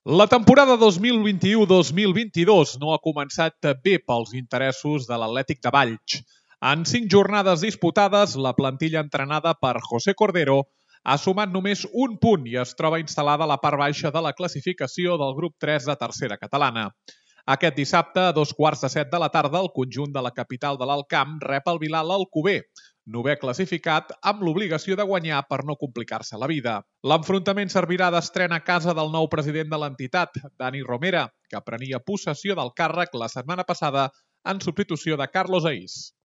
La temporada 2021-2022 no ha començat bé pels interessos de l'Atlètic de Valls. En 5 jornades disputades, la plantilla entrenada per José Cordero ha sumat només un punt i es troba instal·lada a la part baixa de la classificació del grup 3 de tercera catalana. Aquest dissabte, a 2:15 de la tarda, el conjunt de la capital de l'Alt Camp rep el Vilal Alcover, novè classificat, amb l'obligació de guanyar per no complicar-se la vida. L'enfrontament servirà d'estrena a casa del nou president de l'entitat, Dani Romera, que prenia possessió del càrrec la setmana passada en substitució de Carlos Aís.